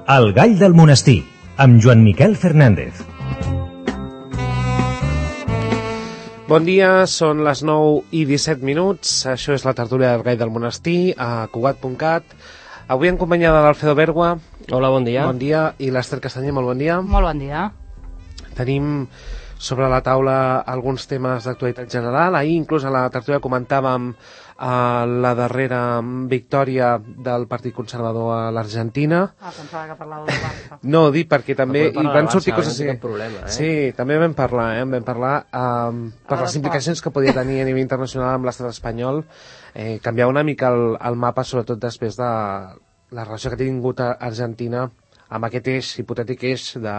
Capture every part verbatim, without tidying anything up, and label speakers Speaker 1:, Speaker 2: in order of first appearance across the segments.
Speaker 1: El gall del monestir, amb Joan Miquel Fernández.
Speaker 2: Bon dia, són les nou i disset minuts. Això és la tertúlia del gall del monestir a Cugat punt cat. Avui en companyia de l'Alfredo Bergua.
Speaker 3: Hola, bon dia.
Speaker 2: Bon dia. I l'Ester Castanyer, molt bon dia.
Speaker 4: Molt bon dia.
Speaker 2: Tenim sobre la taula alguns temes d'actualitat general. Ahir inclús a la tertúlia comentàvem a la darrera victòria del Partit Conservador a l'Argentina.
Speaker 4: Ah, pensava que parlava del Barça.
Speaker 2: No, dic perquè també
Speaker 3: No,
Speaker 2: hi van sortir coses
Speaker 3: no
Speaker 2: així.
Speaker 3: Problema, eh?
Speaker 2: Sí, també vam parlar, eh? Vam parlar um, per les implicacions que podia tenir a nivell internacional amb l'estat espanyol, eh, canviar una mica el, el mapa, sobretot després de la relació que ha tingut a Argentina amb aquest eix, hipotètic eix de,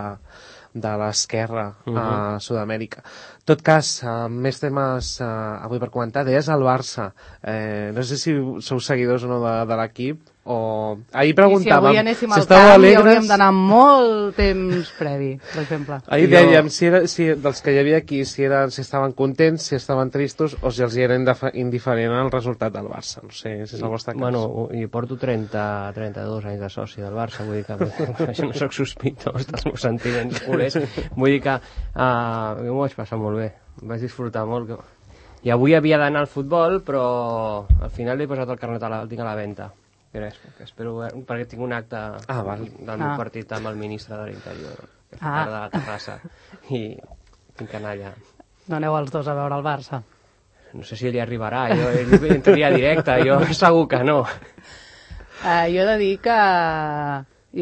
Speaker 2: de l'esquerra uh -huh. a Sud-amèrica. En tot cas, uh, més temes uh, avui per comentar. Deies el Barça. Eh, no sé si sou seguidors o no de, de l'equip, o... Ahir preguntàvem...
Speaker 4: I si avui anéssim
Speaker 2: si
Speaker 4: al camp
Speaker 2: alegres...
Speaker 4: i hauríem d'anar molt temps previ, per exemple.
Speaker 2: Ahir
Speaker 3: Jo...
Speaker 2: dèiem si era, si, dels que hi havia aquí, si, eren, si estaven contents, si estaven tristos, o si els hi era indiferent el resultat del Barça. No sé si és el vostre cas.
Speaker 3: Bueno, i porto trenta, trenta-dos anys de soci del Barça, vull dir que això no soc sospitós dels meus sentiments culers. Vull dir que uh, m'ho vaig passar molt bé, vaig disfrutar molt. Que... I avui havia d'anar al futbol, però al final li he posat el carnet a la, el tinc a la venda. Que espero, perquè tinc un acte
Speaker 2: ah, val.
Speaker 3: del meu ah. partit amb el ministre de l'Interior, aquesta
Speaker 4: ah.
Speaker 3: tarda a la terrassa, i tinc que anar allà.
Speaker 4: No aneu els dos a veure el Barça?
Speaker 3: No sé si ell hi arribarà, jo ell entraria directe, jo segur que no.
Speaker 4: Uh, jo he de dir que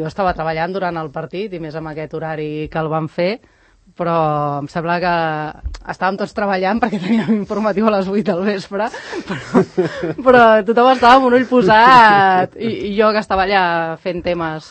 Speaker 4: jo estava treballant durant el partit, i més amb aquest horari que el van fer, però em sembla que estàvem tots treballant perquè teníem informatiu a les vuit del vespre, però, però tothom estava amb un ull posat, i, i jo que estava allà fent temes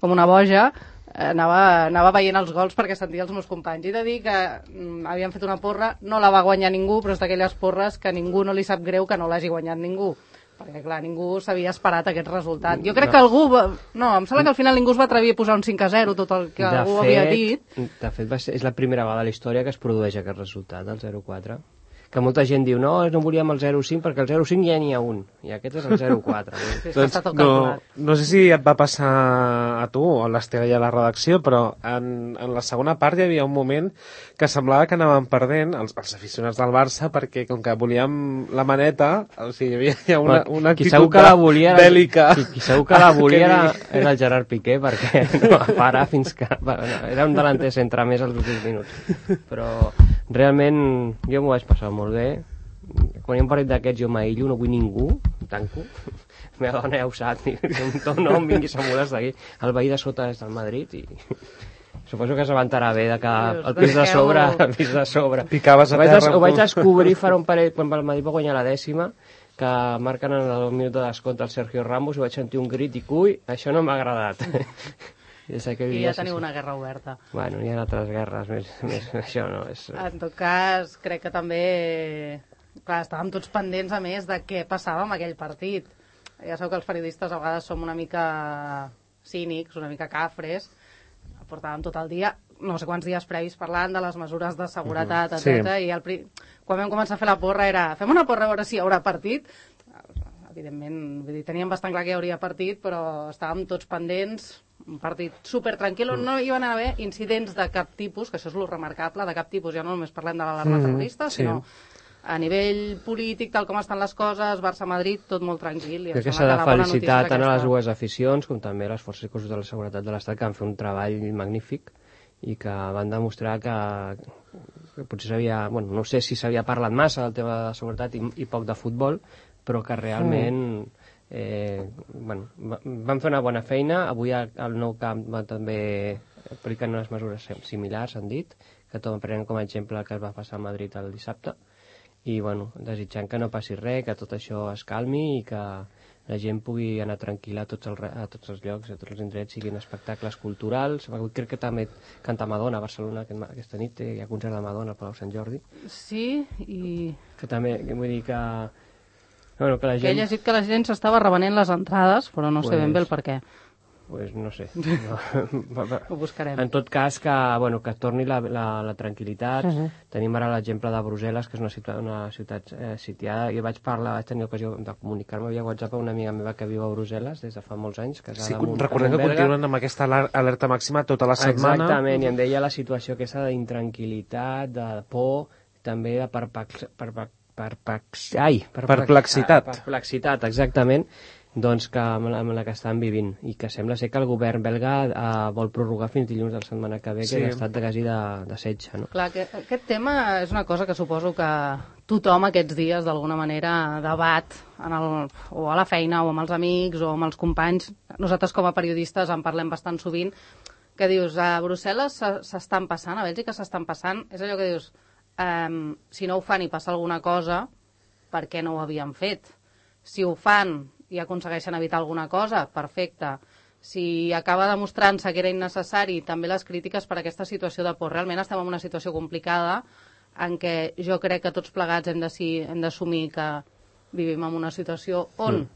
Speaker 4: com una boja, anava, anava veient els gols perquè sentia els meus companys. I he de dir que mm, havien fet una porra, no la va guanyar ningú, però és d'aquelles porres que ningú no li sap greu que no l'hagi guanyat ningú. Perquè, clar, ningú s'havia esperat aquest resultat. Jo crec no. que algú... Va... No, em sembla que al final ningú es va atrevir a posar un cinc a zero, tot el que
Speaker 3: de
Speaker 4: algú
Speaker 3: fet,
Speaker 4: havia dit.
Speaker 3: De fet, va ser, és la primera vegada a la història que es produeix aquest resultat, el zero quatre. Que molta gent diu, no, no volíem el zero cinc perquè el zero cinc ja n'hi ha un, i aquest és el zero quatre.
Speaker 4: Sí,
Speaker 2: doncs, no, no sé si et va passar a tu o a l'Estela i a la redacció, però en, en la segona part hi havia un moment que semblava que anàvem perdent els, els aficionats del Barça, perquè com que volíem la maneta, o sigui, hi havia una, una actitud
Speaker 3: que la volia era,
Speaker 2: bèl·lica.
Speaker 3: Qui, qui segur que la volia era, era el Gerard Piqué, perquè no va parar fins que... Bueno, era un delanter centre més als últims minuts. Però realment jo m'ho vaig passar molt bé. Quan hi ha un partit d'aquests jo m'aïllo, no vull ningú, tanco. La meva dona ja ho sap, no em vinguis a mudar d'aquí. El veí de sota és del Madrid i suposo que s'avantarà bé de que el pis de sobre, el pis de sobre.
Speaker 2: Picaves a terra.
Speaker 3: Ho vaig descobrir farà un parell, quan el Madrid va guanyar la dècima, que marquen en el minut de descompte el Sergio Ramos, i vaig sentir un crit i ui, això no m'ha agradat.
Speaker 4: I ja teniu una guerra oberta.
Speaker 3: Bueno, hi ha altres guerres, més, més això no és...
Speaker 4: En tot cas, crec que també... Clar, estàvem tots pendents, a més, de què passava amb aquell partit. Ja sabeu que els periodistes a vegades som una mica cínics, una mica cafres. Portàvem tot el dia, no sé quants dies previs, parlant de les mesures de seguretat, uh -huh. etcètera. Sí. I el pri... quan vam començar a fer la porra era fem una porra a veure si hi haurà partit. Evidentment, vull dir, teníem bastant clar que hi hauria partit, però estàvem tots pendents, un partit super tranquil, on no hi van haver incidents de cap tipus, que això és lo remarcable, de cap tipus, ja no només parlem de l'alarma terrorista, mm, sí. sinó a nivell polític, tal com estan les coses, Barça-Madrid, tot molt tranquil. I
Speaker 3: crec que s'ha de felicitar tant a les dues aficions com també a les forces i cossos de la seguretat de l'Estat, que han fet un treball magnífic i que van demostrar que, que potser s'havia, bueno, no sé si s'havia parlat massa del tema de seguretat i, i poc de futbol, però que realment eh, bueno, van fer una bona feina. Avui al Nou Camp van també aplicar unes mesures similars, han dit, que tot prenen com a exemple el que es va passar a Madrid el dissabte, i bueno, desitjant que no passi res, que tot això es calmi i que la gent pugui anar tranquil·la a tots, els, a tots els llocs, a tots els indrets, siguin espectacles culturals. Avui crec que també canta Madonna a Barcelona aquesta nit, hi ha concert de Madonna al Palau Sant Jordi.
Speaker 4: Sí, i...
Speaker 3: Que també, vull dir que... Bueno, que, la gent...
Speaker 4: que he llegit que la gent s'estava revenent les entrades, però no pues... sé ben bé el per què.
Speaker 3: pues no sé. No.
Speaker 4: Ho buscarem.
Speaker 3: En tot cas, que, bueno, que torni la, la, la tranquil·litat. Uh -huh. Tenim ara l'exemple de Brussel·les, que és una ciutat, una ciutat eh, sitiada. Jo vaig parlar, vaig tenir ocasió de comunicar-me via WhatsApp a una amiga meva que viu a Brussel·les des de fa molts anys.
Speaker 2: Sí, recordem que continuen amb aquesta alerta màxima tota la setmana.
Speaker 3: Exactament, i em deia la situació aquesta d'intranquil·litat, de por, també de perplex... perplex perplex... Ai, perplex...
Speaker 2: perplexitat.
Speaker 3: Perplexitat, exactament, doncs que amb la, amb la que estan vivint, i que sembla ser que el govern belga eh, vol prorrogar fins dilluns de la setmana que ve, sí. que és estat de quasi de, de setge, no?
Speaker 4: Clar, que, aquest tema és una cosa que suposo que tothom aquests dies d'alguna manera debat en el, o a la feina o amb els amics o amb els companys. Nosaltres com a periodistes en parlem bastant sovint, que dius, a Brussel·les s'estan passant, a Bèlgica s'estan passant, és allò que dius, eh, si no ho fan i passa alguna cosa, per què no ho havien fet? Si ho fan i aconsegueixen evitar alguna cosa, perfecte. Si acaba demostrant-se que era innecessari, també les crítiques per aquesta situació de por. Realment estem en una situació complicada en què jo crec que tots plegats hem d'assumir que vivim en una situació on mm.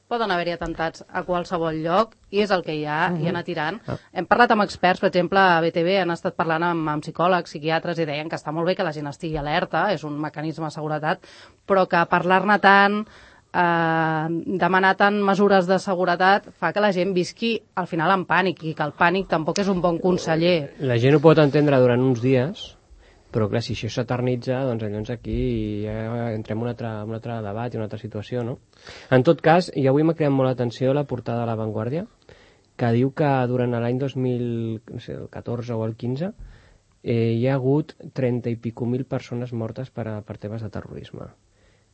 Speaker 4: poden haver-hi atentats a qualsevol lloc, i és el que hi ha, mm -hmm. i anar tirant. Ah. Hem parlat amb experts, per exemple, a B T V, han estat parlant amb, amb psicòlegs, psiquiatres, i deien que està molt bé que la gent estigui alerta, és un mecanisme de seguretat, però que parlar-ne tant, eh, demanar tant mesures de seguretat, fa que la gent visqui al final en pànic, i que el pànic tampoc és un bon conseller.
Speaker 3: La gent ho pot entendre durant uns dies, però clar, si això s'eternitza, doncs llavors aquí ja entrem en un altre, un altre debat i una altra situació, no? En tot cas, i avui m'ha creat molt l'atenció la portada de La Vanguardia, que diu que durant l'any dos mil catorze o el quinze eh, hi ha hagut trenta i pico mil persones mortes per, a, per temes de terrorisme.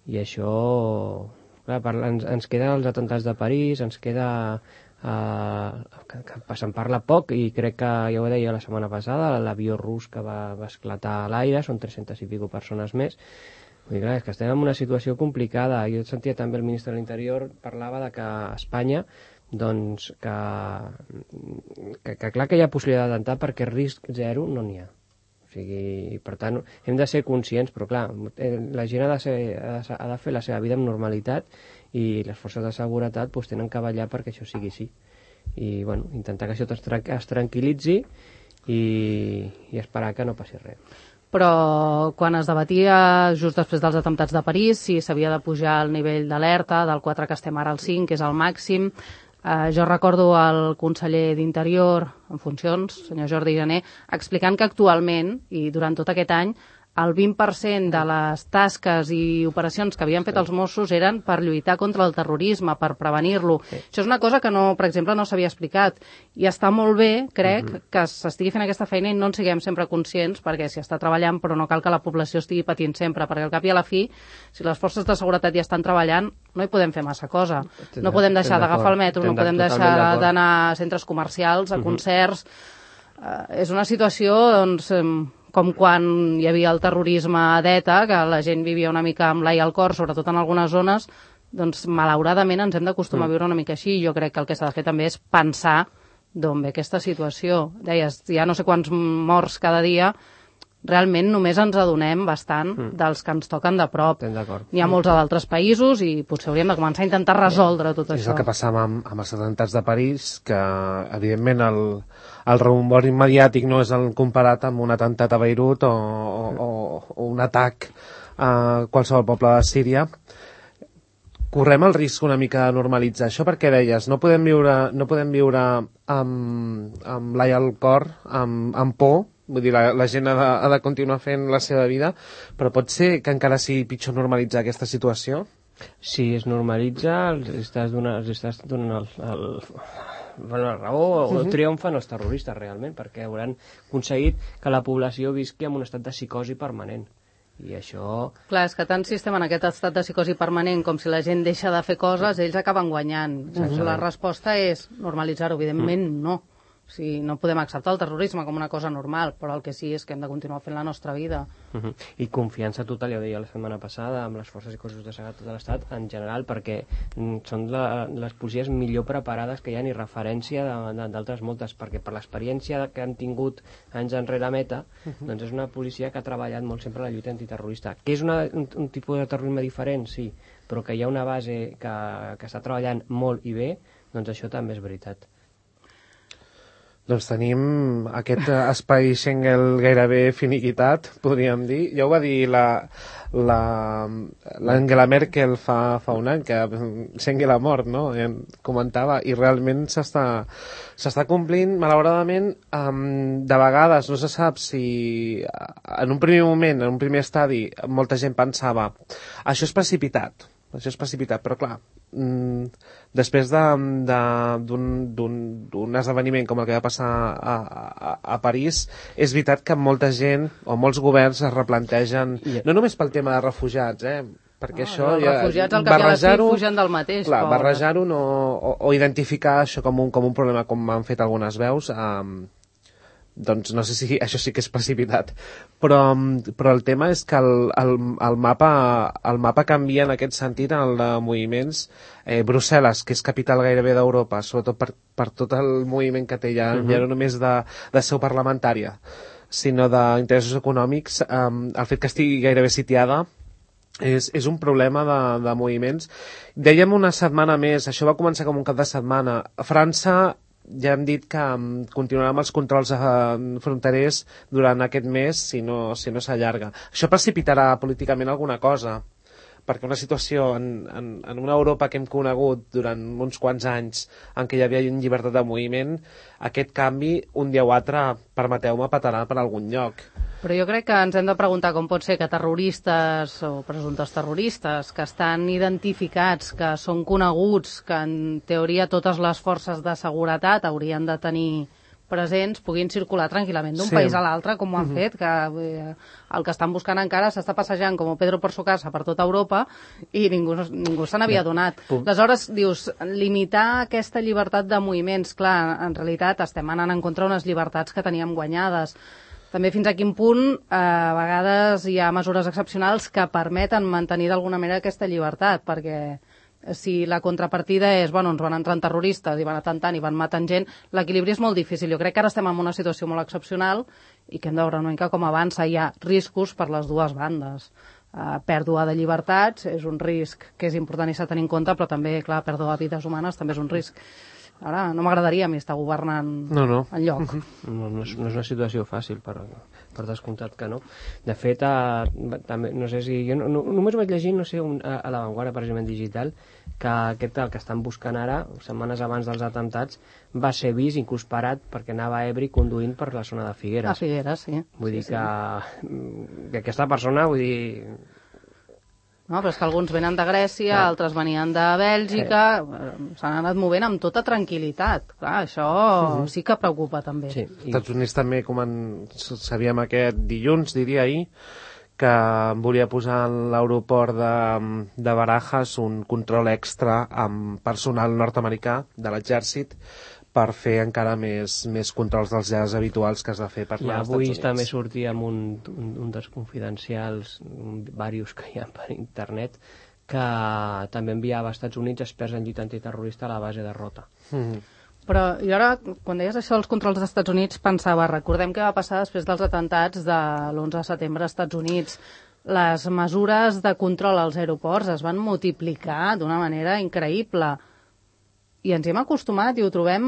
Speaker 3: I això... Clar, per, ens, ens queden els atemptats de París, ens queda... Uh, que, que se'n parla poc, i crec que ja ho deia la setmana passada, l'avió rus que va, va esclatar a l'aire, són tres-centes i pico persones més. Vull dir, clar, és que estem en una situació complicada. Jo sentia també el ministre de l'Interior parlava de que a Espanya doncs que, que, que clar que hi ha possibilitat d'atemptar, perquè risc zero no n'hi ha. O sigui, per tant, hem de ser conscients, però clar, la gent ha de, ser, ha de, ha de fer la seva vida amb normalitat, i les forces de seguretat doncs, tenen que ballar perquè això sigui així. I bueno, intentar que això es, tra es tranquil·litzi i, i esperar que no passi res.
Speaker 4: Però quan es debatia just després dels atemptats de París si s'havia de pujar el nivell d'alerta del quatre que estem ara al cinc, que és el màxim, eh, jo recordo el conseller d'Interior en funcions, senyor Jordi Jané, explicant que actualment i durant tot aquest any el vint per cent de les tasques i operacions que havien fet els Mossos eren per lluitar contra el terrorisme, per prevenir-lo. Sí. Això és una cosa que, no, per exemple, no s'havia explicat. I està molt bé, crec, uh-huh. que s'estigui fent aquesta feina i no en siguem sempre conscients, perquè s'hi està treballant, però no cal que la població estigui patint sempre, perquè al cap i a la fi, si les forces de seguretat ja estan treballant, no hi podem fer massa cosa. No podem deixar d'agafar el metro, no podem deixar d'anar a centres comercials, a concerts... Uh-huh. Uh, és una situació, doncs... Um, com quan hi havia el terrorisme a d'ETA, que la gent vivia una mica amb l'ai al cor, sobretot en algunes zones, doncs malauradament ens hem d'acostumar a viure una mica així. Jo crec que el que s'ha de fer també és pensar d'on ve aquesta situació. Deies, hi ha no sé quants morts cada dia, realment només ens adonem bastant mm. dels que ens toquen de prop. N'hi ha molts a d'altres països i potser hauríem de començar a intentar resoldre tot
Speaker 2: és
Speaker 4: això.
Speaker 2: És el que passava amb, amb els atemptats de París, que evidentment el, el rebombori mediàtic no és el comparat amb un atemptat a Beirut o, o, o un atac a qualsevol poble de Síria. Correm el risc una mica de normalitzar això, perquè deies, no podem viure, no podem viure amb, amb l'ai al cor, amb, amb por. Vull dir, la, la gent ha de, ha de continuar fent la seva vida, però pot ser que encara sigui pitjor normalitzar aquesta situació?
Speaker 3: Si es normalitza, els estàs donant, els estàs donant el, el, bueno, la raó, o uh-huh. triomfen els terroristes realment, perquè hauran aconseguit que la població visqui en un estat de psicosi permanent. I això...
Speaker 4: Clar, és que tant si estem en aquest estat de psicosi permanent com si la gent deixa de fer coses, ells acaben guanyant. Uh-huh. La resposta és normalitzar-ho, evidentment uh-huh. no. O sigui, no podem acceptar el terrorisme com una cosa normal, però el que sí és que hem de continuar fent la nostra vida.
Speaker 3: Uh-huh. I confiança total, ja ho deia la setmana passada, amb les forces i cossos de seguretat de l'Estat en general, perquè mm, són la, les policies millor preparades que hi ha, ni referència d'altres moltes, perquè per l'experiència que han tingut anys enrere a Meta, uh-huh. doncs és una policia que ha treballat molt sempre la lluita antiterrorista. Que és una, un, un tipus de terrorisme diferent, sí, però que hi ha una base que, que està treballant molt i bé, doncs això també és veritat.
Speaker 2: Doncs tenim aquest espai Schengen gairebé finiquitat, podríem dir. Ja ho va dir la, la, l'Angela Merkel fa, fa un any, que Schengen a mort, no? I comentava, i realment s'està, s'està complint, malauradament, um, de vegades no se sap si en un primer moment, en un primer estadi, molta gent pensava això és precipitat, això és precipitat, però clar, mm, després d'un d'un esdeveniment com el que va passar a, a, a París, és veritat que molta gent o molts governs es replantegen, yeah. no només pel tema de refugiats, eh, perquè
Speaker 4: no,
Speaker 2: això
Speaker 4: els
Speaker 2: ja,
Speaker 4: refugiats al cap i a la fi fugen del mateix.
Speaker 2: Clar, barrejar-ho no, o, o identificar això com un, com un problema, com han fet algunes veus, eh, doncs no sé si això sí que és precipitat, però, però el tema és que el, el, el, mapa, el mapa canvia en aquest sentit, en el de moviments. eh, Brussel·les, que és capital gairebé d'Europa, sobretot per, per tot el moviment que té ja, uh-huh. ja no només de, de seu parlamentària, sinó d'interessos econòmics, eh, el fet que estigui gairebé sitiada és, és un problema de, de moviments. Dèiem una setmana més, això va començar com un cap de setmana. A França ja hem dit que um, continuarà amb els controls uh, fronterers durant aquest mes si no, si no s'allarga. Això precipitarà políticament alguna cosa, perquè una situació en, en, en una Europa que hem conegut durant uns quants anys en què hi havia llibertat de moviment, aquest canvi, un dia o altre, permeteu-me, petarà per algun lloc.
Speaker 4: Però jo crec que ens hem de preguntar com pot ser que terroristes o presumptes terroristes que estan identificats, que són coneguts, que en teoria totes les forces de seguretat haurien de tenir presents, puguin circular tranquil·lament d'un sí. país a l'altre, com ho han uh-huh. fet, que eh, el que estan buscant encara s'està passejant com Pedro por su casa per tota Europa i ningú, ningú se n'havia donat. Uh. Aleshores, dius, limitar aquesta llibertat de moviments, clar, en realitat estem anant en contra d'unes llibertats que teníem guanyades. També fins a quin punt eh, a vegades hi ha mesures excepcionals que permeten mantenir d'alguna manera aquesta llibertat, perquè si la contrapartida és, bueno, ens van entrant terroristes i van atentant i van matant gent, l'equilibri és molt difícil. Jo crec que ara estem en una situació molt excepcional i que hem de veure una mica com avança. Hi ha riscos per les dues bandes. Uh, pèrdua de llibertats és un risc que és important i s'ha de tenir en compte, però també, clar, pèrdua de vides humanes també és un risc. Ara, no m'agradaria a mi estar governant
Speaker 2: no, no.
Speaker 4: enlloc.
Speaker 3: No, no, és, no és una situació fàcil, per, per descomptat que no. De fet, a, també, no sé si... Jo no, no, només vaig llegir, no sé, un, a, a l'avantguarda, precisament digital, que aquest, el que estan buscant ara, setmanes abans dels atemptats, va ser vist, inclús parat, perquè anava a Ebri conduint per la zona de Figueres.
Speaker 4: A Figueres, sí.
Speaker 3: Vull
Speaker 4: sí,
Speaker 3: dir
Speaker 4: sí.
Speaker 3: que, que aquesta persona, vull dir...
Speaker 4: No, però és que alguns venen de Grècia, clar. Altres venien de Bèlgica, eh. s'han anat movent amb tota tranquil·litat. Clar, això uh-huh. sí que preocupa també.
Speaker 2: Sí. I... Estats Units també, com en... sabíem aquest dilluns, diria ahir, que volia posar a l'aeroport de, de Barajas un control extra amb personal nord-americà de l'exèrcit per fer encara més, més controls dels llars habituals que has de fer per anar als Estats Units.
Speaker 3: Avui també sortia amb un, un, un dels confidencials, un, diversos que hi ha per internet, que també enviava als Estats Units experts en lluita antiterrorista a la base de Rota.
Speaker 2: Mm-hmm.
Speaker 4: Però jo ara, quan deies això dels controls dels Estats Units, pensava, recordem què va passar després dels atentats de l'onze de setembre als Estats Units. Les mesures de control als aeroports es van multiplicar d'una manera increïble. I ens hi hem acostumat i ho trobem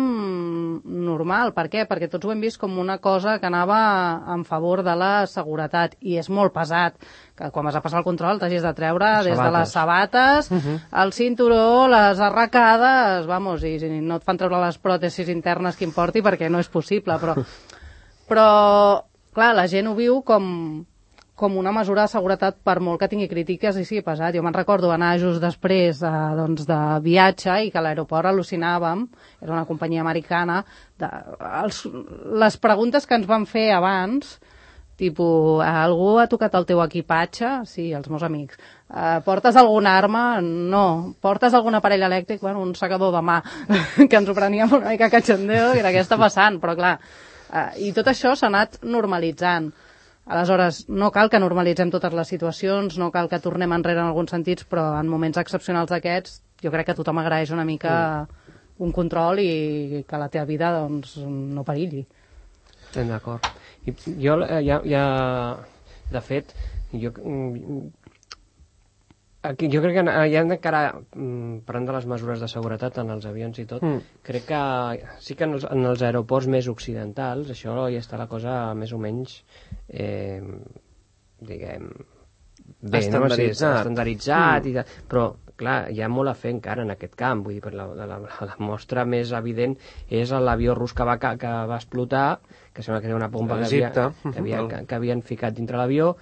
Speaker 4: normal. Per què? Perquè tots ho hem vist com una cosa que anava en favor de la seguretat. I és molt pesat que quan vas a passar el control t'hagis de treure les des sabates. de les sabates, uh-huh. el cinturó, les arracades, vamos, i no et fan treure les pròtesis internes que importi perquè no és possible. Però, però clar, la gent ho viu com... com una mesura de seguretat, per molt que tingui crítiques i sigui pesat. Jo me'n recordo anar just després eh, doncs de viatge i que a l'aeroport al·lucinàvem, era una companyia americana, de, els, les preguntes que ens van fer abans, tipus, algú ha tocat el teu equipatge? Sí, els meus amics. Eh, portes alguna arma? No. Portes algun aparell elèctric? Bueno, un secador de mà, que ens ho preníem una mica cachondeo, que era què està passant, però clar. Eh, I tot això s'ha anat normalitzant. Aleshores, no cal que normalitzem totes les situacions, no cal que tornem enrere en alguns sentits, però en moments excepcionals d'aquests jo crec que tothom agraeix una mica mm. un control i que la teva vida doncs, no perilli.
Speaker 3: Estem d'acord. I jo ja, ja, de fet, jo Aquí, jo crec que hi ha encara, parlant de les mesures de seguretat en els avions i tot, mm. crec que sí que en els, en els aeroports més occidentals això ja està la cosa més o menys eh, diguem bé,
Speaker 2: estandarditzat,
Speaker 3: no? Sí, estandarditzat
Speaker 2: mm.
Speaker 3: i de, però clar, hi ha molt a fer encara en aquest camp, vull dir, per la, la, la mostra més evident és l'avió rus que va, que va explotar, que sembla que era una pompa que, havia, que, havia, que, que havien ficat dintre l'avió,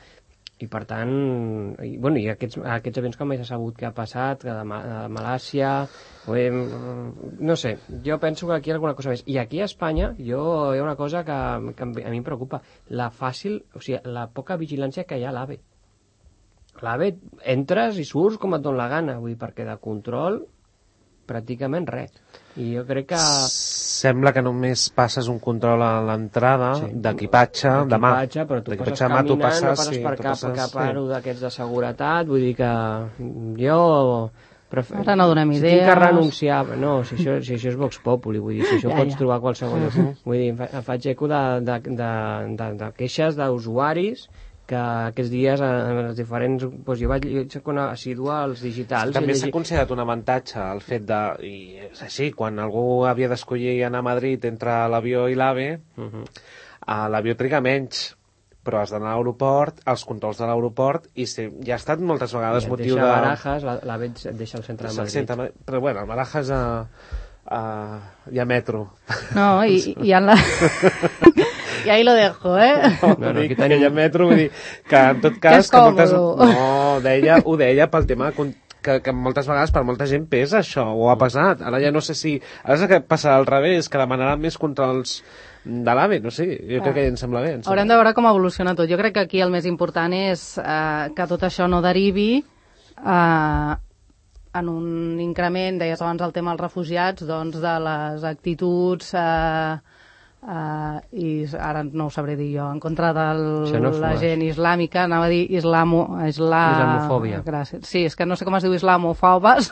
Speaker 3: i per tant, i, bueno, i aquests, aquests avions que mai s'ha sabut què ha passat, que de, de Malàcia, bé, no sé, jo penso que aquí hi ha alguna cosa més. I aquí a Espanya jo, hi ha una cosa que, que a mi em preocupa, la fàcil, o sigui, la poca vigilància que hi ha a l'AVE. L'AVE entres i surts com et dona la gana, vull dir, perquè de control pràcticament res. I jo crec que...
Speaker 2: Sembla que només passes un control a l'entrada, sí. d'equipatge, de mà.
Speaker 3: Però tu passes caminant, tu passes, no passes sí, per cap, passes, cap aro sí. d'aquests de seguretat, vull dir que jo... Prefer...
Speaker 4: Ara no donem idees.
Speaker 3: Si tinc que renunciar... No, si això, si això és Vox Populi, vull dir, si això ja, pots ja. trobar qualsevol... Uh -huh. Vull dir, em faig eco de, de, de, de, de queixes d'usuaris que aquests dies en els diferents... Doncs jo vaig jo soc una assídua als digitals.
Speaker 2: També s'ha considerat un avantatge el fet de... I és així, quan algú havia d'escollir anar a Madrid entre l'avió i l'AVE, uh -huh. a l'avió triga menys, però has d'anar a l'aeroport, als controls de l'aeroport, i sí, ja ha estat moltes vegades motiu de...
Speaker 3: Deixa Barajas, l'AVE et deixa al centre de Madrid. Centre,
Speaker 2: però bueno, el Barajas a, a, hi ha metro.
Speaker 4: No, i, i en la... I ahí lo dejo, eh?
Speaker 2: No, no, no dic que hi ha metro, vull dir que en tot cas...
Speaker 4: Que, que moltes...
Speaker 2: No, deia, ho deia pel tema que, que moltes vegades per molta gent pesa això, o ha passat. Ara ja no sé si... Ara és que passarà al revés, que demanaran més controls de l'AVE, no sé, jo ah. crec que ja em sembla bé. Em sembla.
Speaker 4: Haurem de veure com evoluciona tot. Jo crec que aquí el més important és eh, que tot això no derivi eh, en un increment, deies abans el tema dels refugiats, doncs de les actituds... Eh, Uh, i ara no ho sabré dir jo en contra de la gent islàmica, anava a dir islamo, isla...
Speaker 3: islamofòbia.
Speaker 4: Gràcies. Sí, és que no sé com es diu islamofòbes.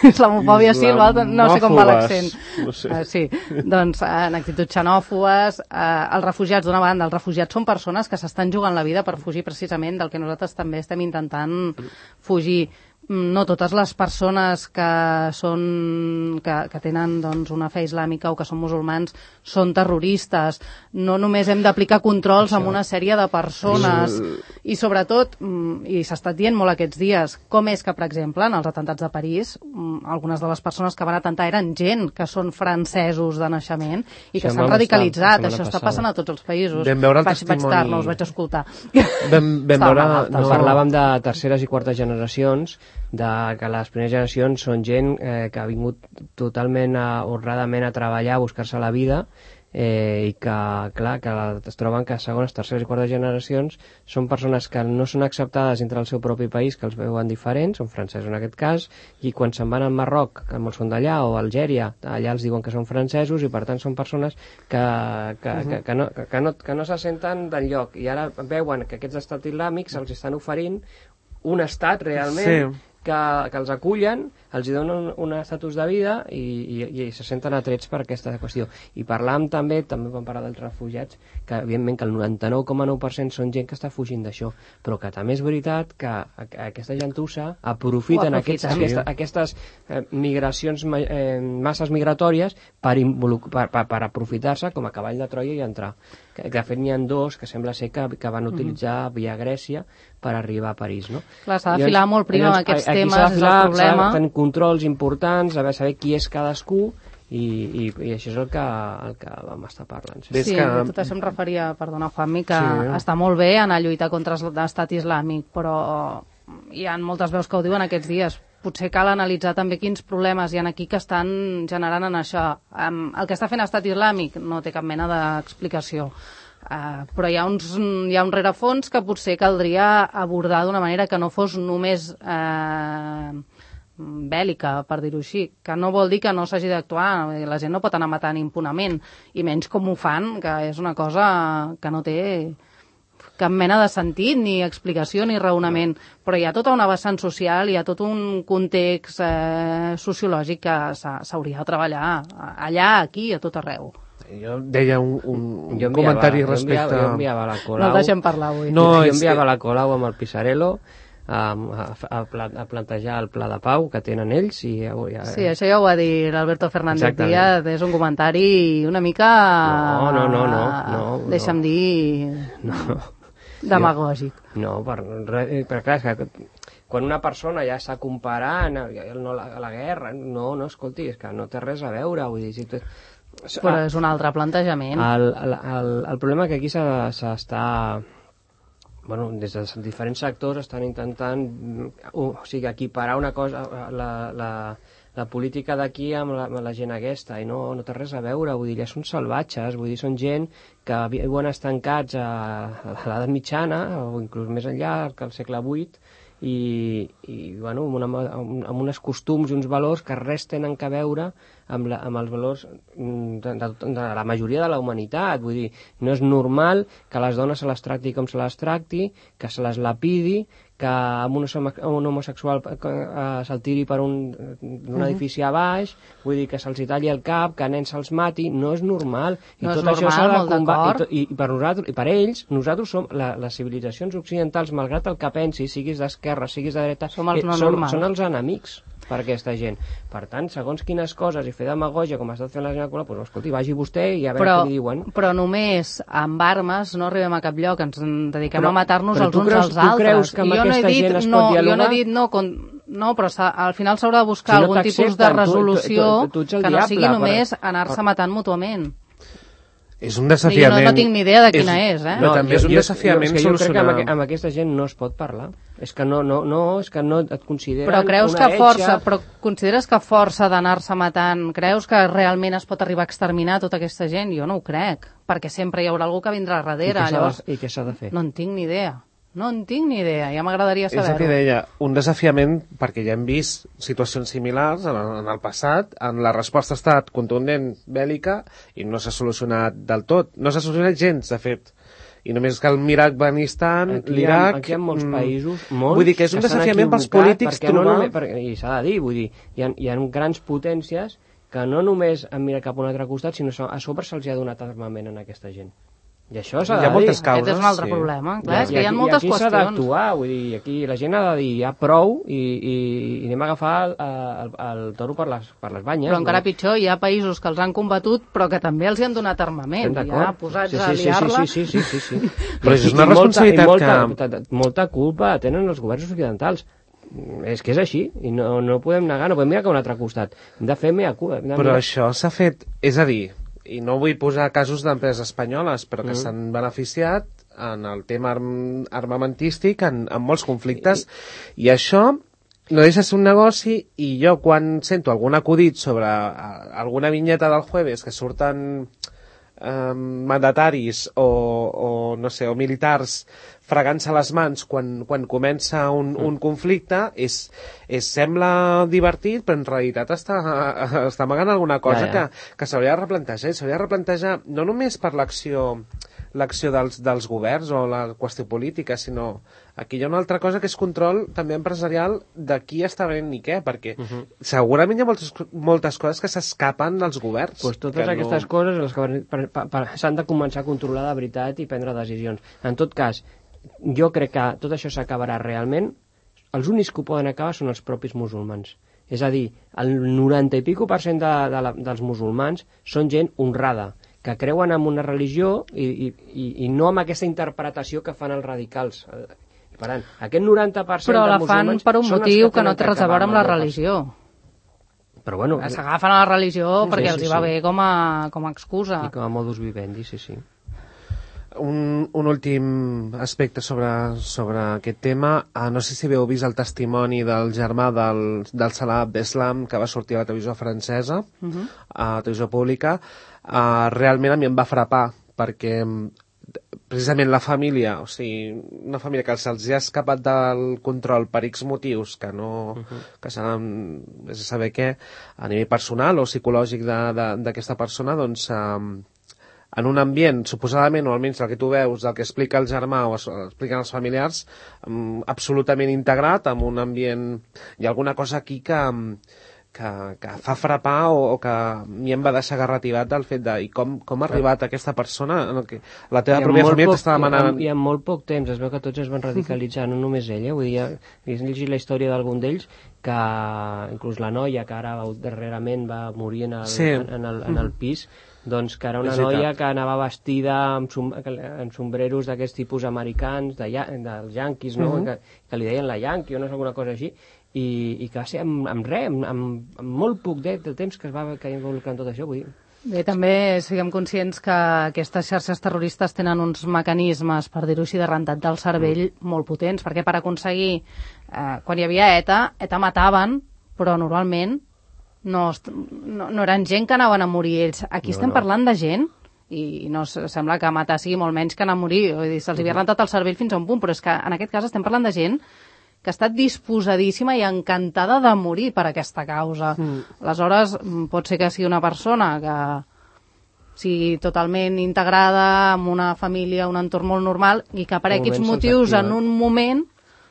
Speaker 4: Islamofòbia sí, l'altre no sé com va l'accent.
Speaker 2: No sé.
Speaker 4: uh, sí, doncs uh, en actituds xenòfobes, uh, els refugiats, d'una banda, els refugiats són persones que s'estan jugant la vida per fugir precisament del que nosaltres també estem intentant fugir. No totes les persones que són que, que tenen doncs, una fe islàmica o que són musulmans són terroristes. No només hem d'aplicar controls amb una sèrie de persones i sobretot, i s'ha estat dient molt aquests dies, com és que, per exemple, en els atentats de París algunes de les persones que van atentar eren gent que són francesos de naixement i que s'han radicalitzat. Això està passant a tots els països.
Speaker 2: Vam veure el
Speaker 4: vaig,
Speaker 2: testimoni...
Speaker 4: vaig tard, no us vaig escoltar.
Speaker 2: Vam, vam veure...
Speaker 3: No. Parlàvem de terceres i quartes generacions, de que les primeres generacions són gent eh, que ha vingut totalment a, honradament a treballar, a buscar-se la vida, eh, i que, clar, que es troben que segones, terceres i quartes generacions són persones que no són acceptades entre el seu propi país, que els veuen diferents, són francesos en aquest cas, i quan se'n van al Marroc, que molts són d'allà, o a Algèria, allà els diuen que són francesos, i per tant són persones que, que, uh-huh. que, que, no, que, no, que no se senten d'enlloc, i ara veuen que aquests estats islàmics els estan oferint un estat realment sí. que, que els acullen, els hi donen un, un estatus de vida i, i, i se senten atrets per aquesta qüestió. I parlàvem també, també vam parlar dels refugiats, que evidentment que el noranta-nou coma nou per cent són gent que està fugint d'això, però que també és veritat que aquesta gentussa aprofiten aquests, sí. aquesta, aquestes eh, migracions, eh, masses migratòries per, per, per, per aprofitar-se com a cavall de Troia i entrar. Que, de fet n'hi ha dos que sembla ser que, que van utilitzar mm-hmm. via Grècia per arribar a París, no?
Speaker 4: Clar, s'ha de filar molt prim amb aquests temes, és el problema.
Speaker 3: S'ha de tenir controls importants, saber, saber qui és cadascú, i, i, i això és el que, el que vam estar parlant.
Speaker 4: Sí, sí que... tot això em referia, perdona Juanmi, que sí. està molt bé anar a lluitar contra l'estat islàmic, però hi ha moltes veus que ho diuen aquests dies. Potser cal analitzar també quins problemes hi ha aquí que estan generant en això. Um, el que està fent l'estat islàmic no té cap mena d'explicació. Uh, però hi ha, uns, hi ha un rerefons que potser caldria abordar d'una manera que no fos només uh, bèl·lica, per dir-ho així, que no vol dir que no s'hagi d'actuar, la gent no pot anar matant impunament, i menys com ho fan, que és una cosa que no té cap mena de sentit, ni explicació, ni raonament, però hi ha tota una vessant social, hi ha tot un context eh, sociològic que s'hauria de treballar allà, aquí, a tot arreu.
Speaker 2: Jo deia un, un,
Speaker 3: jo
Speaker 2: enviava, comentari
Speaker 3: jo
Speaker 2: respecte...
Speaker 3: Enviava, jo enviava la Colau...
Speaker 4: No el deixem parlar avui.
Speaker 3: No, jo enviava que... la Colau amb el Pisarello, a, a, a plantejar el pla de pau que tenen ells. I ja, ja...
Speaker 4: Sí, això ja ho va dir l'Alberto Fernández Díaz, és un comentari una mica...
Speaker 3: No, no, no, no. no
Speaker 4: Deixa'm
Speaker 3: no.
Speaker 4: dir...
Speaker 3: No.
Speaker 4: Demagògic.
Speaker 3: No, per, per clar, és que quan una persona ja està comparant no, la, la guerra, no, no, escolti, és que no té res a veure, vull dir, si tu...
Speaker 4: Però és un altre plantejament.
Speaker 3: El, el, el, el problema que aquí s'està... Bueno, des de diferents sectors estan intentant o sigui, equiparar una cosa, la, la, la política d'aquí amb, amb la gent aquesta, i no, no té res a veure, vull dir, ja són salvatges, vull dir, són gent que viuen estancats a, a l'edat mitjana, o inclús més enllà, que al segle vuit, i, i bueno, amb, una, amb uns costums i uns valors que res tenen a veure amb, la, amb els valors de, de, de la majoria de la humanitat. Vull dir, no és normal que les dones se les tracti com se les tracti, que se les lapidi, que amb un, un homosexual eh, se'l tiri per un, un edifici a baix, vull dir, que se'ls talli el cap, que a nens se'ls mati, no és normal. I
Speaker 4: no
Speaker 3: tot
Speaker 4: és
Speaker 3: això
Speaker 4: normal,
Speaker 3: s'ha de
Speaker 4: molt
Speaker 3: combatre. I, i, per nosaltres, I per ells, nosaltres som, la, les civilitzacions occidentals, malgrat el que pensi, siguis d'esquerra, siguis de dreta,
Speaker 4: som els no
Speaker 3: són,
Speaker 4: normals.
Speaker 3: són els enemics per aquesta gent. Per tant, segons quines coses, i fer demagògia, com ha estat fent la gent Colau, doncs, escolti, vagi vostè i a veure
Speaker 4: però,
Speaker 3: què li diuen.
Speaker 4: Però només amb armes no arribem a cap lloc, ens dediquem
Speaker 3: però,
Speaker 4: a matar-nos els uns
Speaker 3: creus,
Speaker 4: als altres.
Speaker 3: Tu creus que amb
Speaker 4: jo
Speaker 3: aquesta
Speaker 4: no he dit,
Speaker 3: gent es
Speaker 4: no,
Speaker 3: pot dialogar?
Speaker 4: Jo no he dit no, con, no però al final s'haurà de buscar
Speaker 3: si no
Speaker 4: algun tipus de resolució
Speaker 3: tu, tu, tu, tu
Speaker 4: que no sigui
Speaker 3: diable,
Speaker 4: només
Speaker 3: però...
Speaker 4: anar-se matant mútuament.
Speaker 2: És un desafiament...
Speaker 4: No, no tinc ni idea de quina és, és eh?
Speaker 2: No, també és un
Speaker 3: jo,
Speaker 2: desafiament
Speaker 3: jo, jo, jo crec que amb,
Speaker 2: solucionar...
Speaker 3: amb aquesta gent no es pot parlar. És que no, no, no, és que no et consideren
Speaker 4: però creus
Speaker 3: una
Speaker 4: que força,
Speaker 3: etxa...
Speaker 4: però consideres que força d'anar-se matant, creus que realment es pot arribar a exterminar tota aquesta gent? Jo no ho crec, perquè sempre hi haurà algú que vindrà darrere.
Speaker 3: I
Speaker 4: llavors,
Speaker 3: què s'ha de fer?
Speaker 4: No en tinc ni idea. No en tinc ni idea, ja m'agradaria saber-ho.
Speaker 2: És el que deia, un desafiament, perquè ja hem vist situacions similars en el, en el passat, en la resposta ha estat contundent, bèl·lica, i no s'ha solucionat del tot. No s'ha solucionat gens, de fet. I només cal mirar Afganistan, l'Iraq...
Speaker 3: Aquí hi ha molts països, molts,
Speaker 2: vull dir que és un desafiament pels polítics trobar...
Speaker 3: No només, perquè, i s'ha de dir, vull dir, hi ha, hi ha grans potències que no només han mirat cap a un altre costat, sinó a sobre se'ls ha donat armament a aquesta gent. I això s'ha de dir.
Speaker 2: Hi ha moltes causes.
Speaker 4: Aquest és un altre sí. problema. Clar, és que hi ha
Speaker 3: aquí,
Speaker 4: moltes
Speaker 3: aquí
Speaker 4: qüestions.
Speaker 3: Aquí s'ha d'actuar, vull dir, aquí la gent ha de dir ja prou i, i, i anem a agafar el, el, el toro per les, per les banyes.
Speaker 4: Però encara
Speaker 3: no?
Speaker 4: pitjor, hi ha països que els han combatut però que també els hi han donat armament. Ja posats
Speaker 3: sí, sí,
Speaker 4: a liar-la.
Speaker 3: Sí, sí, sí, sí, sí, sí.
Speaker 2: Però és una responsabilitat
Speaker 3: molta, i molta,
Speaker 2: que...
Speaker 3: Molta culpa tenen els governs occidentals. És que és així, i no, no podem negar, no podem mirar cap a un altre costat. Hem de fer mea culpa.
Speaker 2: Però mirar... això s'ha fet, és a dir, i no vull posar casos d'empreses espanyoles, però que mm. s'han beneficiat en el tema arm armamentístic en, en molts conflictes, I, i això no deixa ser un negoci, i jo quan sento algun acudit sobre a, alguna vinyeta del Jueves que surten eh, mandataris o, o, no sé, o militars fregant-se les mans quan, quan comença un, un conflicte, és, és, sembla divertit, però en realitat està, està amagant alguna cosa ja, ja. que, que s'hauria de replantejar. S'hauria de replantejar no només per l'acció l'acció dels, dels governs o la qüestió política, sinó aquí hi ha una altra cosa que és control també empresarial de qui està venent ni què, perquè uh -huh. segurament hi ha moltes, moltes coses que s'escapen dels governs.
Speaker 3: Pues totes aquestes no... coses les que s'han de començar a controlar de veritat i prendre decisions. En tot cas, jo crec que tot això s'acabarà realment, els únics que ho poden acabar són els propis musulmans. És a dir, el noranta i pico per cent de, de la, dels musulmans són gent honrada, que creuen en una religió i, i, i, i no amb aquesta interpretació que fan els radicals. Per tant, aquest noranta per cent
Speaker 4: però
Speaker 3: de
Speaker 4: la
Speaker 3: musulmans...
Speaker 4: fan per un motiu que, que no té res a veure amb la religió.
Speaker 3: Però bueno...
Speaker 4: S'agafen a la religió
Speaker 3: sí,
Speaker 4: perquè
Speaker 3: sí,
Speaker 4: els hi
Speaker 3: sí.
Speaker 4: va bé com a, com a excusa.
Speaker 3: I com a modus vivendi, sí, sí.
Speaker 2: Un, un últim aspecte sobre, sobre aquest tema. Uh, no sé si heu vist el testimoni del germà del, del Salah Abdeslam que va sortir a la televisió francesa, uh -huh. a la televisió pública. Uh, realment a mi em va frapar, perquè precisament la família, o sigui, una família que se'ls ha escapat del control per X motius, que no, uh -huh. que s'han de saber què, a nivell personal o psicològic d'aquesta persona, doncs... Uh, en un ambient, suposadament, o almenys el que tu veus, el que explica el germà o expliquen els familiars, um, absolutament integrat, amb un ambient... Hi ha alguna cosa aquí que, um, que, que fa frapar o, o que a mi em va deixar garrativat el fet de i com, com ha arribat aquesta persona en el que la teva pròpia família t'està demanant...
Speaker 3: I en molt poc temps, es veu que tots es van radicalitzar, no només ella, vull dir, he llegit la història d'algun d'ells, que inclús la noia que ara darrerament va morir en el, sí. en, en, el, en el pis, doncs que era una noia que anava vestida amb, som, amb sombreros d'aquests tipus americans, de, dels yanquis, no? Uh -huh. que, que li deien la Yankee o no és alguna cosa així, i, i que va ser amb, amb res, amb, amb, amb molt poc de, de temps que es va que involucrar en tot això, vull dir.
Speaker 4: Bé, també siguem conscients que aquestes xarxes terroristes tenen uns mecanismes, per dir-ho així, de rentat del cervell mm. molt potents, perquè per aconseguir, eh, quan hi havia ETA, ETA mataven, però normalment no, no, no eren gent que anaven a morir ells. Aquí no, estem no. parlant de gent, i no sembla que matar sigui molt menys que anar a morir, vull dir, se'ls havia rentat el cervell fins a un punt, però és que en aquest cas estem parlant de gent que ha estat disposadíssima i encantada de morir per aquesta causa. Mm. Aleshores, pot ser que sigui una persona que sigui totalment integrada amb una família, un entorn molt normal, i que per aquests motius en un moment,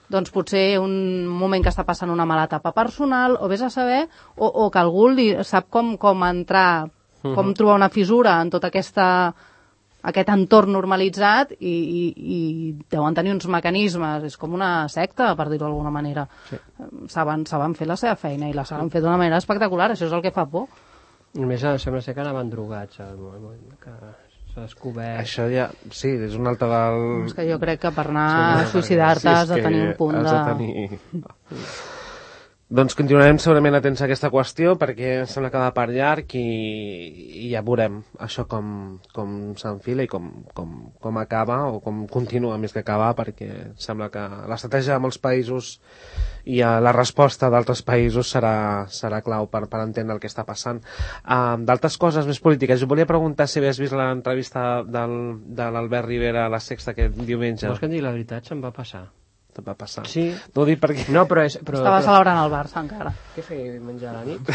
Speaker 4: doncs potser un moment que està passant una mala etapa personal, o vés a saber, o, o que algú li sap com, com entrar, mm-hmm. com trobar una fissura en tota aquesta... aquest entorn normalitzat i, i, i deuen tenir uns mecanismes, és com una secta, per dir-ho d'alguna manera. Sí. Saben, saben fer la seva feina i la saben fer d'una manera espectacular, això és el que fa por.
Speaker 3: Només sembla ser que anaven drogats, al moment que s'ha descobert...
Speaker 2: Això ja, sí, és un altre del...
Speaker 4: És que jo crec que per anar a suïcidar-te has de tenir un punt de...
Speaker 2: Has de tenir... Doncs continuarem segurament atents a aquesta qüestió perquè sembla que va per llarg i, i ja veurem això com, com s'enfila i com, com, com acaba o com continua més que acabar, perquè sembla que l'estratègia de molts països i la resposta d'altres països serà, serà clau per, per entendre el que està passant. Uh, d'altres coses més polítiques, jo volia preguntar si havies vist l'entrevista del, de l'Albert Rivera a la Sexta aquest diumenge.
Speaker 3: Vols que et digui la veritat? Se'm va passar.
Speaker 2: Te'n va passar.
Speaker 3: Sí.
Speaker 2: No ho dic perquè...
Speaker 3: No, però és... Però,
Speaker 4: Estava
Speaker 3: però...
Speaker 4: celebrant el Barça, encara.
Speaker 3: Què feia diumenge a la nit?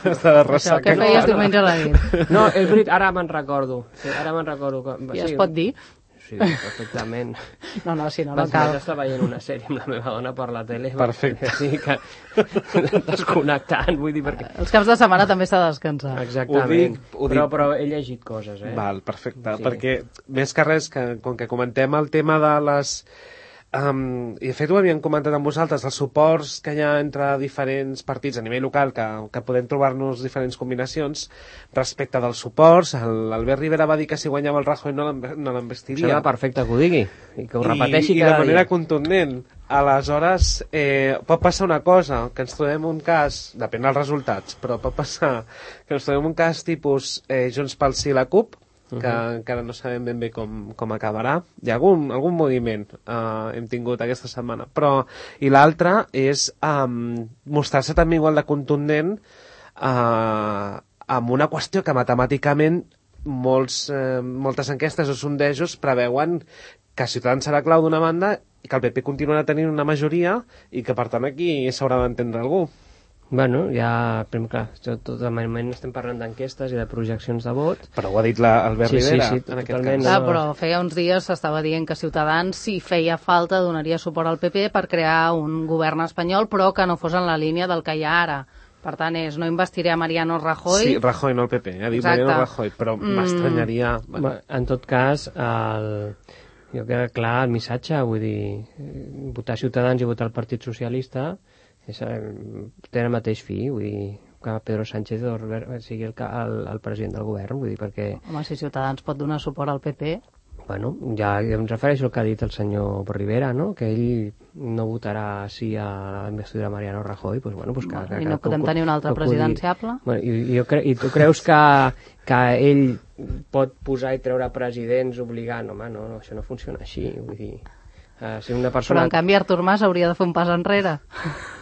Speaker 2: Estava de ressaca.
Speaker 4: Què feies diumenge a la nit?
Speaker 3: No, és veritat, ara me'n recordo. Sí, ara me'n recordo. Que...
Speaker 4: I sí, es pot dir?
Speaker 3: Sí, perfectament.
Speaker 4: No, no, si no, no
Speaker 3: Vaig
Speaker 4: cal.
Speaker 3: Vaig estar veient una sèrie amb la meva dona per la tele.
Speaker 2: Perfecte.
Speaker 3: Sí, que... desconnectant, vull dir, perquè...
Speaker 4: Els caps de setmana també s'ha de descansar.
Speaker 3: Exactament. Ho dic, ho dic... Però, però he llegit coses, eh?
Speaker 2: Val, perfecte. Sí. Perquè, més que res, que, com que comentem el tema de les... Um, i de fet ho havíem comentat amb vosaltres, els suports que hi ha entre diferents partits a nivell local, que, que podem trobar-nos diferents combinacions respecte dels suports. L'Albert Rivera va dir que si guanyava el Rajoy no l'envestiria.
Speaker 3: Serà perfecte que ho digui i que ho repeteixi
Speaker 2: I,
Speaker 3: cada
Speaker 2: i de manera
Speaker 3: dia.
Speaker 2: contundent. Aleshores, eh, pot passar una cosa, que ens trobem un cas, depèn dels resultats, però pot passar que ens trobem un cas tipus eh, Junts pel Sí i la CUP, que uh-huh. encara no sabem ben bé com, com acabarà. Hi ha algun, algun moviment uh, hem tingut aquesta setmana, però i l'altre és um, mostrar-se també igual de contundent uh, amb una qüestió que matemàticament molts, uh, moltes enquestes o sondejos preveuen que Ciutadans serà clau d'una banda i que el P P continuarà tenint una majoria i que per tant aquí s'haurà d'entendre algú.
Speaker 3: Bueno, ja, clar, tot el moment estem parlant d'enquestes i de projeccions de vot.
Speaker 2: Però ho ha dit l'Albert
Speaker 3: sí,
Speaker 2: Rivera,
Speaker 3: sí, sí,
Speaker 2: en aquest cas.
Speaker 4: Clar, no... però feia uns dies s'estava dient que Ciutadans, si feia falta, donaria suport al P P per crear un govern espanyol, però que no fos en la línia del que hi ha ara. Per tant, és, no investiré a Mariano Rajoy...
Speaker 2: Sí, Rajoy, no el P P, ha dit Exacte. Mariano Rajoy, però mm. m'estranyaria...
Speaker 3: Bueno. En tot cas, el... jo crec que clar, el missatge, vull dir, votar Ciutadans i votar el Partit Socialista... És, té el mateix fi, vull dir, que Pedro Sánchez sigui el, el, el president del govern, vull dir, perquè...
Speaker 4: Home, si Ciutadans pot donar suport al P P...
Speaker 3: Bueno, ja em refereixo al que ha dit el senyor Rivera, no?, que ell no votarà sí a la investidura de Mariano Rajoy, pues bueno, pues que...
Speaker 4: Bueno,
Speaker 3: que
Speaker 4: I no podem que, tenir un altre presidenciable?
Speaker 3: Bueno, i, jo cre I tu creus que, que ell pot posar i treure presidents obligant? Home, no, no, això no funciona així, vull dir... Uh, si una persona...
Speaker 4: Però en canvi Artur Mas hauria de fer un pas enrere.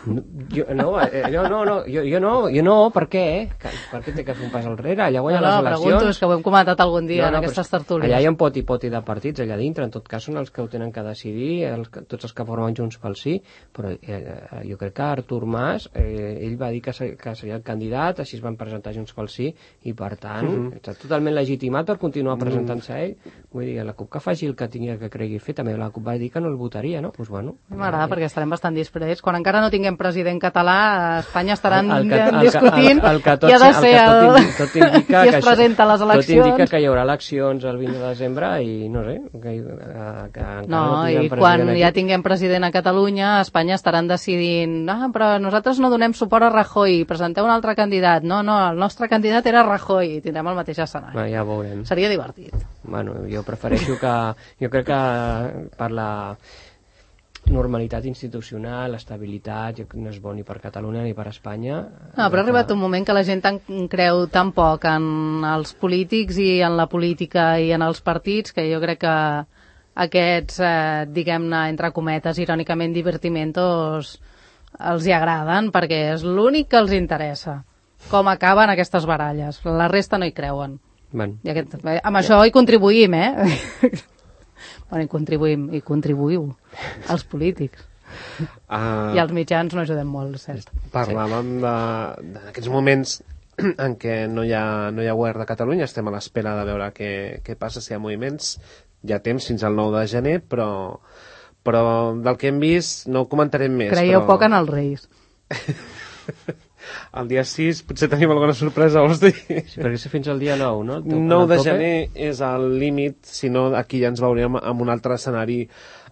Speaker 3: No, jo, no, eh, no, no, no, jo, jo no, jo no, per què? Eh? Per què té que fer un pas enrere? Allà guanya
Speaker 4: no, no,
Speaker 3: les eleccions...
Speaker 4: pregunto, és que ho hem comentat algun dia no, no, en aquestes tertúlies.
Speaker 3: Allà hi ha un poti poti de partits allà dintre, en tot cas són els que ho tenen que decidir, els, tots els que formen Junts pel Sí, però eh, jo crec que Artur Mas, eh, ell va dir que, ser, que seria el candidat, així es van presentar Junts pel Sí, i per tant, uh -huh. està totalment legitimat per continuar presentant-se ell. Vull dir, la CUP que faci el que tingui que cregui fer, també la CUP va dir que no el votaria, no? Pues bueno.
Speaker 4: M'agrada perquè estarem bastant disprets. Quan encara no tinguem tinguem president català, a Espanya estaran
Speaker 3: El- el que- el que-
Speaker 4: discutint
Speaker 3: el- el que tot-
Speaker 4: qui ha de
Speaker 3: el que
Speaker 4: ser
Speaker 3: tot
Speaker 4: el...
Speaker 3: indi- tot indica
Speaker 4: qui
Speaker 3: que
Speaker 4: es
Speaker 3: això-
Speaker 4: presenta a les
Speaker 3: Tot
Speaker 4: eleccions.
Speaker 3: indica que hi haurà eleccions el vint de desembre i no sé, que, que, que encara
Speaker 4: No,
Speaker 3: no
Speaker 4: i
Speaker 3: tinguem
Speaker 4: quan
Speaker 3: president
Speaker 4: ja
Speaker 3: aquí.
Speaker 4: tinguem president a Catalunya, a Espanya estaran decidint ah, però nosaltres no donem suport a Rajoy, presenteu un altre candidat. No, no, el nostre candidat era Rajoy i tindrem el mateix escenari.
Speaker 3: Va, ja ho veurem.
Speaker 4: Seria divertit.
Speaker 3: Bueno, jo prefereixo que... Jo crec que per la normalitat institucional, estabilitat, jo crec que no és bo ni per Catalunya ni per Espanya.
Speaker 4: No, però ha arribat un moment que la gent tan, creu tan poc en els polítics i en la política i en els partits que jo crec que aquests, eh, diguem-ne, entre cometes, irònicament divertimentos els hi agraden perquè és l'únic que els interessa. Com acaben aquestes baralles. La resta no hi creuen.
Speaker 3: Bueno,
Speaker 4: I aquest, eh, amb això hi contribuïm, eh? Bueno, hi contribuïm, hi contribuïu, els polítics.
Speaker 2: Uh,
Speaker 4: I els mitjans no ajudem molt, cert.
Speaker 2: Parlàvem de- d'aquests moments en què no hi, ha, no hi ha govern de Catalunya, estem a l'espera de veure què, què passa, si hi ha moviments, hi ha temps fins al nou de gener, però, però del que hem vist no ho comentarem més.
Speaker 4: Creieu
Speaker 2: però...
Speaker 4: poc en els reis.
Speaker 2: El dia sis potser tenim alguna sorpresa, vols dir?
Speaker 3: sí, perquè és fins al dia nou, no? El teu-
Speaker 2: nou de
Speaker 3: el tope?
Speaker 2: gener és el límit, si no aquí ja ens veurem en un altre escenari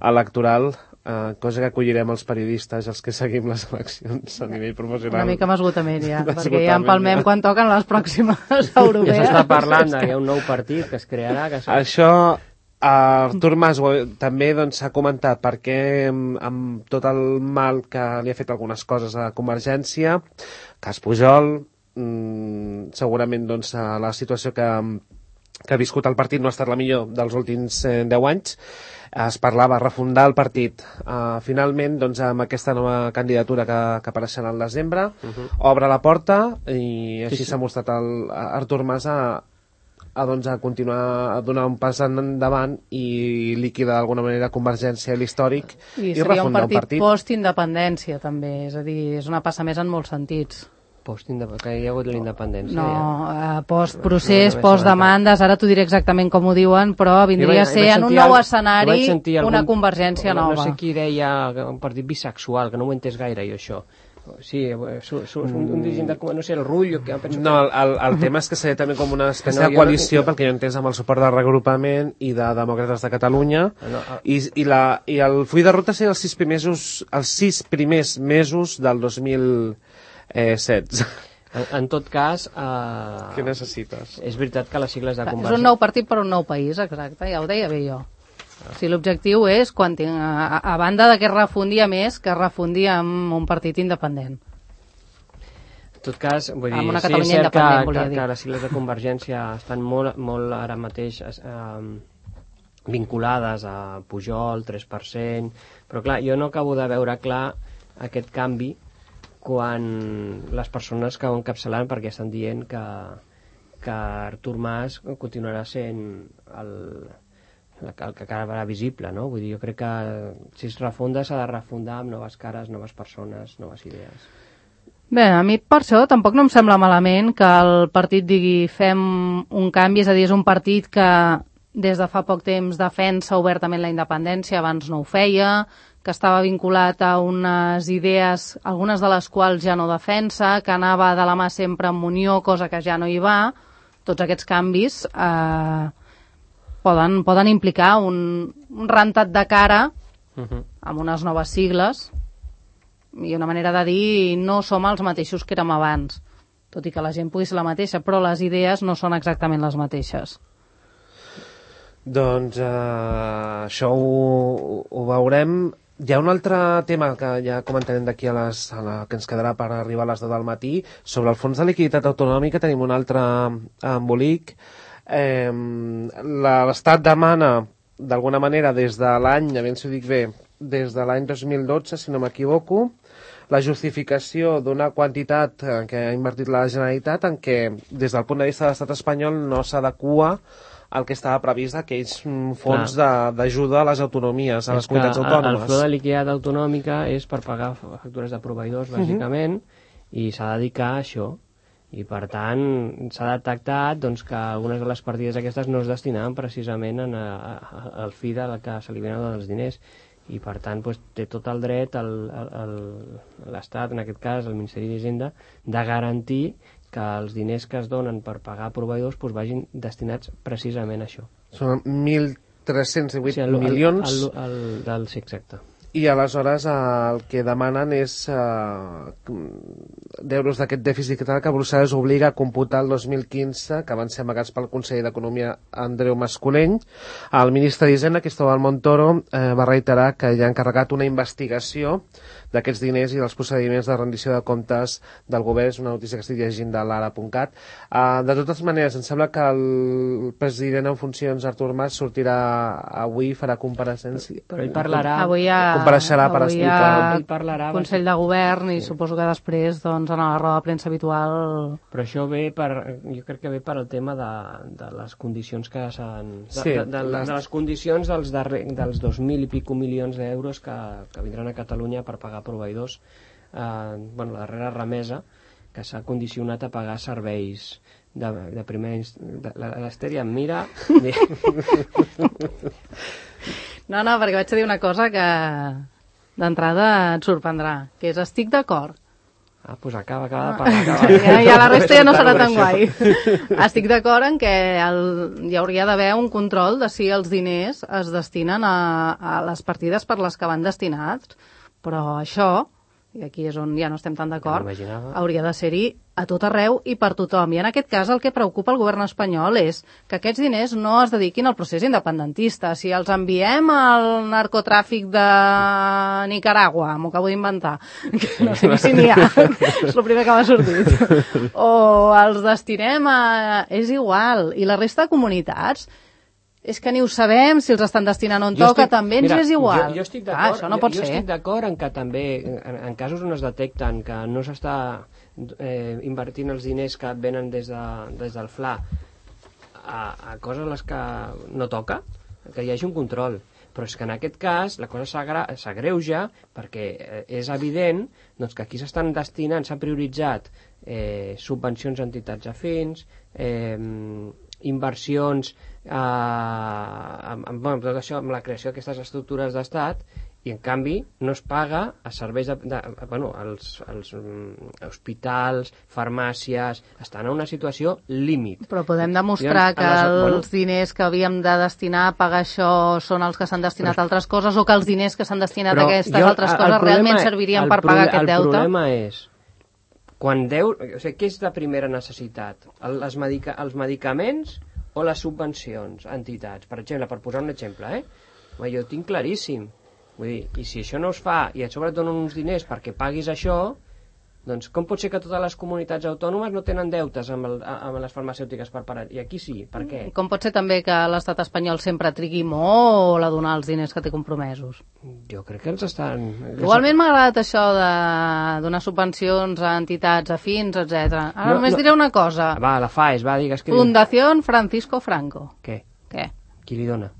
Speaker 2: electoral, eh, cosa que acollirem els periodistes, els que seguim les eleccions a nivell professional.
Speaker 4: Una mica amb esgotament, ja, perquè ja
Speaker 2: D'esgotament,
Speaker 4: empalmem
Speaker 2: ja.
Speaker 4: quan toquen les pròximes
Speaker 3: Ja
Speaker 4: europees.
Speaker 3: s'està parlant de que hi ha un nou partit que es crearà, que s'ha-
Speaker 2: Això, Artur Mas ho- també doncs, s'ha comentat perquè amb, amb tot el mal que li ha fet algunes coses a Convergència, cas Pujol, mmm, segurament doncs, la situació que, que ha viscut el partit no ha estat la millor dels últims eh, deu anys. Es parlava de refundar el partit. Uh, finalment, doncs, amb aquesta nova candidatura que, que apareixerà al desembre, uh -huh. obre la porta i així
Speaker 3: Sí, sí.
Speaker 2: s'ha mostrat el, Artur Mas a, a, doncs, a continuar a donar un pas endavant i liquidar d'alguna manera Convergència, l'històric,
Speaker 4: I
Speaker 2: i,
Speaker 4: seria un
Speaker 2: refundar
Speaker 4: partit,
Speaker 2: un partit.
Speaker 4: post-independència, també. És a dir, és una passa més en molts sentits.
Speaker 3: Post que hi ha hagut la independència.
Speaker 4: No,
Speaker 3: ja.
Speaker 4: eh, post-procés,
Speaker 3: No, no, no
Speaker 4: post-demandes, ara t'ho diré exactament com ho diuen, però vindria
Speaker 3: Jo vaig-
Speaker 4: a ser
Speaker 3: vaig
Speaker 4: en un
Speaker 3: sentir
Speaker 4: nou
Speaker 3: al-
Speaker 4: escenari
Speaker 3: vaig sentir
Speaker 4: una
Speaker 3: algun-
Speaker 4: Convergència
Speaker 3: no,
Speaker 4: nova.
Speaker 3: No sé qui deia que un partit bisexual, que no ho he entès gaire, jo, això. Sí, su, su, un, un dirigent de, no sé, el Rull, que penso
Speaker 2: No, el, el, el tema és que seria també com una espècie
Speaker 3: No,
Speaker 2: de
Speaker 3: jo no
Speaker 2: coalició,
Speaker 3: tinc-
Speaker 2: pel que jo he entès, amb el suport del regrupament i de Demòcrates de Catalunya,
Speaker 3: No, el-
Speaker 2: i, i, la, i el full de ruta seria els sis primers, els sis primers mesos del dos mil setze.
Speaker 3: En, en tot cas, eh,
Speaker 2: Què necessites?
Speaker 3: és veritat que les sigles de
Speaker 4: Clar, és
Speaker 3: Convergència...
Speaker 4: un nou partit per un nou país, exacte, ja ho deia bé jo. Si l'objectiu és, quan tinc, a, a banda de que es refundi a més, que es refundi amb un partit independent.
Speaker 3: En tot cas, vull dir,
Speaker 4: Amb una
Speaker 3: sí, és
Speaker 4: Catalunya
Speaker 3: cert que,
Speaker 4: independent, volia
Speaker 3: que,
Speaker 4: dir.
Speaker 3: que les sigles de Convergència estan molt, molt ara mateix eh, vinculades a Pujol, tres per cent, però clar, jo no acabo de veure clar aquest canvi quan les persones que ho encapçalan perquè estan dient que, que Artur Mas continuarà sent el, el que acabarà visible, no? Vull dir, jo crec que si es refunda s'ha de refundar amb noves cares, noves persones, noves idees.
Speaker 4: Bé, a mi per això tampoc no em sembla malament que el partit digui fem un canvi, és a dir, és un partit que des de fa poc temps defensa obertament la independència, abans no ho feia, que estava vinculat a unes idees, algunes de les quals ja no defensa, que anava de la mà sempre amb Unió, cosa que ja no hi va. Tots aquests canvis eh, poden, poden implicar un, un rentat de cara
Speaker 3: Uh-huh.
Speaker 4: amb unes noves sigles i una manera de dir no som els mateixos que érem abans, tot i que la gent pugui ser la mateixa, però les idees no són exactament les mateixes.
Speaker 2: Doncs eh, això ho, ho veurem. Hi ha un altre tema que ja comentarem d'aquí a, les, a la que ens quedarà per arribar a les deu del matí. Sobre el fons de liquiditat autonòmica tenim un altre embolic. Eh, L'Estat demana, d'alguna manera, des de l'any, a veure si ho dic bé, des de l'any dos mil dotze, si no m'equivoco, la justificació d'una quantitat que ha invertit la Generalitat en què, des del punt de vista de l'estat espanyol, no s'adequa el que estava previst d'aquells fons d'ajuda a les autonomies, a les comunitats autònomes.
Speaker 3: El flux de liquiditat autonòmica és per pagar factures de proveïdors, bàsicament, uh-huh. i s'ha de dedicar a això. I, per tant, s'ha detectat doncs, que algunes de les partides aquestes no es destinaven precisament en a, a, al fi de la que se li venen els diners. i per tant doncs, té tot el dret l'Estat, en aquest cas el Ministeri d'Hisenda, de garantir que els diners que es donen per pagar proveïdors doncs, vagin destinats precisament a això.
Speaker 2: Són mil tres-cents divuit
Speaker 3: sí, el,
Speaker 2: milions.
Speaker 3: El, el, el, el, sí, exacte.
Speaker 2: I aleshores el que demanen és eh, d'euros d'aquest dèficit que Brussel·les obliga a computar el dos mil quinze, que van ser amagats pel conseller d'Economia Andreu Mascolell. El ministre d'Hisenda, Cristóbal Montoro, eh, va reiterar que ja ha encarregat una investigació d'aquests diners i dels procediments de rendició de comptes del govern. És una notícia que estic llegint de l'ara punt cat. Uh, de totes maneres, em sembla que el president en funcions, Artur Mas, sortirà avui i farà compareixença.
Speaker 3: Però ell parlarà...
Speaker 4: Avui ha,
Speaker 2: compareixerà per
Speaker 4: avui
Speaker 2: explicar...
Speaker 4: Ell parlarà, Consell de Govern i sí. Suposo que després doncs, en la roda de premsa habitual...
Speaker 3: Però això ve per... Jo crec que ve per al tema de, de les condicions que s'han... De,
Speaker 2: sí,
Speaker 3: de, de, les... de les condicions dels, darrer, dels dos mil i pico milions d'euros que, que vindran a Catalunya per pagar proveïdors, eh, bueno, la darrera remesa que s'ha condicionat a pagar serveis de, de primer inst... l'Esteri em mira
Speaker 4: no, no, perquè vaig a dir una cosa que d'entrada et sorprendrà, que és estic d'acord.
Speaker 3: Ah, doncs acaba, acaba de parlar. Acaba.
Speaker 4: Ja, ja la resta ja no serà tan guai. Estic d'acord en que el, hi hauria d'haver un control de si els diners es destinen a, a les partides per les que van destinats, però això, i aquí és on ja no estem tan d'acord, hauria de ser-hi a tot arreu i per tothom. I en aquest cas el que preocupa el govern espanyol és que aquests diners no es dediquin al procés independentista. Si els enviem al narcotràfic de Nicaragua, m'ho acabo d'inventar, que no sé ni si n'hi ha, és el primer que m'ha sortit, o els destinem a... és igual. I la resta de comunitats... És que ni ho sabem, si els estan destinant on jo toca, estic, també ens mira, és igual.
Speaker 3: Jo, jo estic d'acord,
Speaker 4: ah, això no pot
Speaker 3: jo, jo
Speaker 4: ser.
Speaker 3: estic d'acord en que també, en, en casos on es detecten que no s'està eh, invertint els diners que venen des, de, des del F L A a, a coses les que no toca, que hi hagi un control. Però és que en aquest cas la cosa s'agreuja perquè és evident doncs, que aquí s'estan destinant, s'ha prioritzat eh, subvencions a entitats afins, eh, inversions eh, amb, amb, amb tot això, amb la creació d'aquestes estructures d'estat, i en canvi no es paga a serveis de, de, bueno, els, els um, hospitals, farmàcies, estan en una situació límit.
Speaker 4: Però podem demostrar I, que les, els bueno, diners que havíem de destinar a pagar això són els que s'han destinat a altres coses, o que els diners que s'han destinat a aquestes jo, altres coses problema, realment servirien per pagar aquest deute?
Speaker 3: El problema és quan deu, o sigui, què és de primera necessitat? El, les medica, els medicaments o les subvencions a entitats? Per exemple, per posar un exemple, eh? Jo ho tinc claríssim. Vull dir, i si això no es fa i a sobre et donen uns diners perquè paguis això, doncs com pot ser que totes les comunitats autònomes no tenen deutes amb, el, amb les farmacèutiques per parar? I aquí sí, per què?
Speaker 4: Com pot ser també que l'estat espanyol sempre trigui molt a donar els diners que té compromesos?
Speaker 3: Jo crec que els estan...
Speaker 4: Igualment m'ha agradat això de donar subvencions a entitats afins, etcètera. Ara no, només no. diré una cosa.
Speaker 3: Va, la FAES, va, digues que...
Speaker 4: Fundación Francisco Franco.
Speaker 3: Què?
Speaker 4: Què?
Speaker 3: Qui li dona?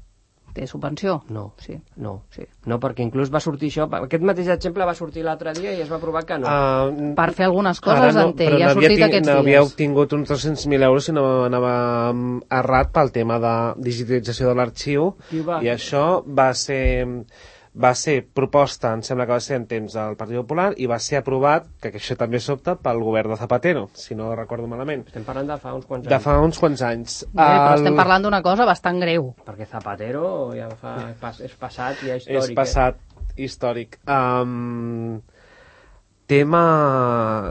Speaker 4: Té subvenció?
Speaker 3: No,
Speaker 4: sí.
Speaker 3: no, sí. No, perquè inclús va sortir això, aquest mateix exemple va sortir l'altre dia i es va provar que no.
Speaker 4: Uh, per fer algunes coses no, en té, ja ha sortit
Speaker 2: ting,
Speaker 4: aquests
Speaker 2: no
Speaker 4: dies.
Speaker 2: Havia obtingut uns tres-cents mil euros i no anava errat pel tema de digitalització de l'arxiu, i això va ser... va ser proposta, em sembla que va ser en temps del Partit Popular, i va ser aprovat, que això també sobta, pel govern de Zapatero, si no recordo malament.
Speaker 3: Estem parlant de fa uns quants anys.
Speaker 2: De fa uns quants anys.
Speaker 4: Bé, però el... estem parlant d'una cosa bastant greu.
Speaker 3: Perquè Zapatero ja fa, és passat ja històric.
Speaker 2: És passat eh? històric. Um, tema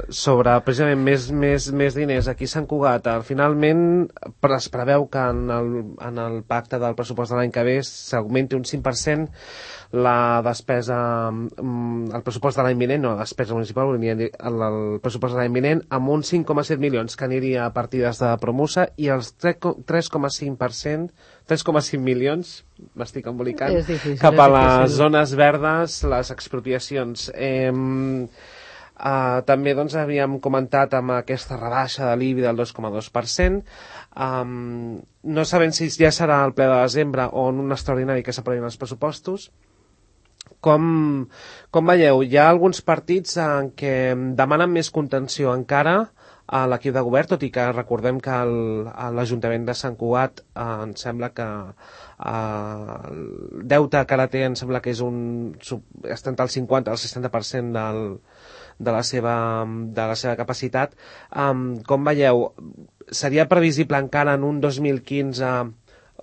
Speaker 2: sobre, precisament, més, més, més diners aquí a Sant Cugat. Finalment, es preveu que en el, en el pacte del pressupost de l'any que ve s'augmenti un cinc per cent la despesa, el pressupost de l'any vinent, no, la despesa municipal, el, el pressupost de l'any vinent, amb uns cinc coma set milions que aniria a partides de Promusa, i els tres coma cinc per cent, tres coma cinc milions, m'estic embolicant,
Speaker 4: difícil,
Speaker 2: cap a les zones verdes, les expropiacions. Eh, Uh, també doncs, havíem comentat amb aquesta rebaixa de l'I B I del dos coma dos per cent. Um, no sabem si ja serà el ple de desembre o en un extraordinari que s'aprovin els pressupostos. Com, com veieu, hi ha alguns partits en què demanen més contenció encara a l'equip de govern, tot i que recordem que el, a l'Ajuntament de Sant Cugat eh, em sembla que eh, el deute que ara té em sembla que és un, està entre el cinquanta al seixanta per cent del, de, la seva, de la seva capacitat. Um, com veieu, seria previsible encara en un dos mil quinze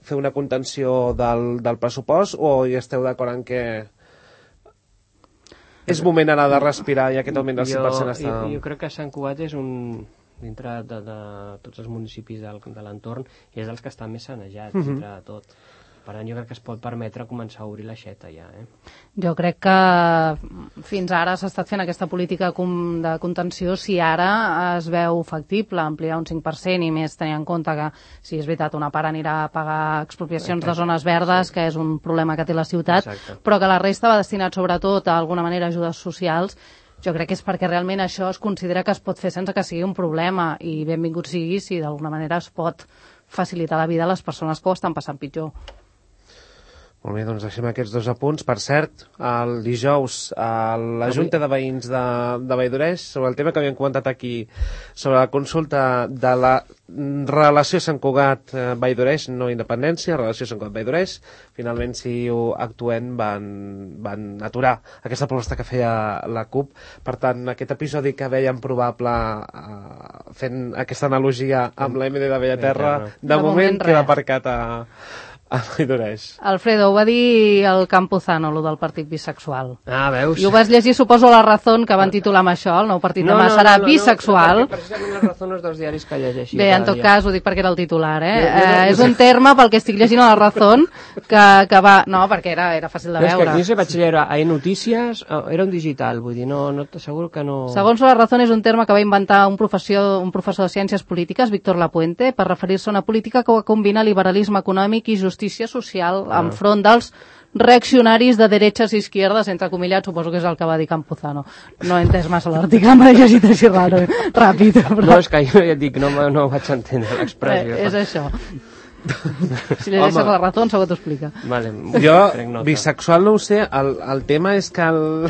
Speaker 2: fer una contenció del, del pressupost, o hi esteu d'acord en que és moment ara de respirar i aquest augment del cinc per cent està...
Speaker 3: Jo, jo crec que Sant Cugat és un, dintre de, de tots els municipis del, de l'entorn, és dels que estan més sanejats, uh-huh. dintre de tot. Per tant, jo crec que es pot permetre començar a obrir l'aixeta ja. Eh?
Speaker 4: Jo crec que fins ara s'ha estat fent aquesta política de contenció. Si ara es veu factible ampliar un cinc per cent i més tenint en compte que, si és veritat, una part anirà a pagar expropiacions de zones verdes, sí. que és un problema que té la ciutat, Exacte. Però que la resta va destinat sobretot a alguna manera a ajudes socials, jo crec que és perquè realment això es considera que es pot fer sense que sigui un problema, i benvingut sigui si d'alguna manera es pot facilitar la vida a les persones que ho estan passant pitjor.
Speaker 2: Molt bé, doncs deixem aquests dos apunts. Per cert, el dijous a la Junta de Veïns de, de Valldoreix, sobre el tema que havíem comentat aquí, sobre la consulta de la relació Sant Cugat-Valldoreix, no independència, relació Sant Cugat-Valldoreix, finalment, si ho actuen, van, van aturar aquesta proposta que feia la CUP. Per tant, aquest episodi que veiem probable, eh, fent aquesta analogia amb la M D de Bellaterra, de, de moment, moment queda aparcat a...
Speaker 4: Alfredo, ho va dir el Campuzano, lo del partit bisexual.
Speaker 3: Ah, veus?
Speaker 4: I ho vas llegir, suposo, a La Razón, que van titular amb això, el nou partit no, demà no, serà no, no, bisexual.
Speaker 3: No, perquè precisament La Razón és dels diaris que llegeixi.
Speaker 4: Bé, en tot dia. Cas, ho dic perquè era el titular, eh? Jo, jo, jo, eh és un terme, pel que estic llegint a La Razón, que, que va... No, perquè era, era fàcil de veure.
Speaker 3: És que aquí se vaig llegir a Notícies, era un digital, vull dir, no, no t'asseguro que no...
Speaker 4: Segons La Razón, és un terme que va inventar un professor, un professor de Ciències Polítiques, Víctor Lapuente, per referir-se a una política que combina liberalisme econòmic i justícia social enfront dels reaccionaris de derechas i izquierdas, entrecomillats, suposo que és el que va dir Campuzano. No he entès massa l'article, m'he llegit així raro, ràpid. Però...
Speaker 3: No, és que jo ja et dic, no, no vaig entendre l'expressió.
Speaker 4: Eh, és això. Si li deixes la raó, segur t'ho explica.
Speaker 3: Vale,
Speaker 2: jo, bisexual no ho sé, el, el tema és que el,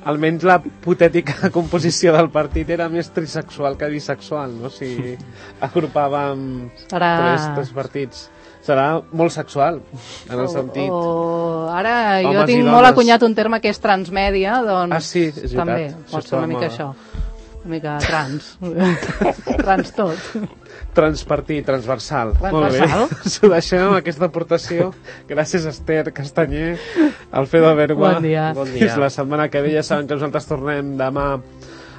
Speaker 2: almenys la hipotètica composició del partit era més trisexual que bisexual, no? Si agrupàvem Serà... tres, tres partits. Serà molt sexual, en el sentit...
Speaker 4: O, o... Ara jo Homes tinc molt acunyat un terme que és transmèdia, doncs
Speaker 2: ah, sí, és
Speaker 4: també
Speaker 2: veritat.
Speaker 4: pot ser una mica això. Una mica trans. Trans tot.
Speaker 2: Transpartit, transversal.
Speaker 4: Transversal.
Speaker 2: Molt bé. S'ho deixem amb aquesta aportació. Gràcies, Esther Castanyer, Alfredo Bergua.
Speaker 4: Bon dia.
Speaker 3: Bon dia.
Speaker 2: Fins la setmana que ve. Ja saben que nosaltres tornem demà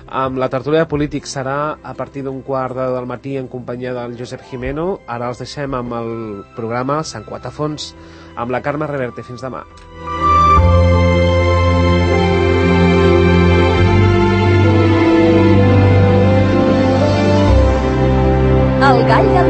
Speaker 2: amb la tertúlia de polítics. Serà a partir d'un quart de del matí en companyia del Josep Jimeno. Ara els deixem amb el programa Sant Cugat a fons amb la Carme Reverte. Fins demà.
Speaker 5: El gall del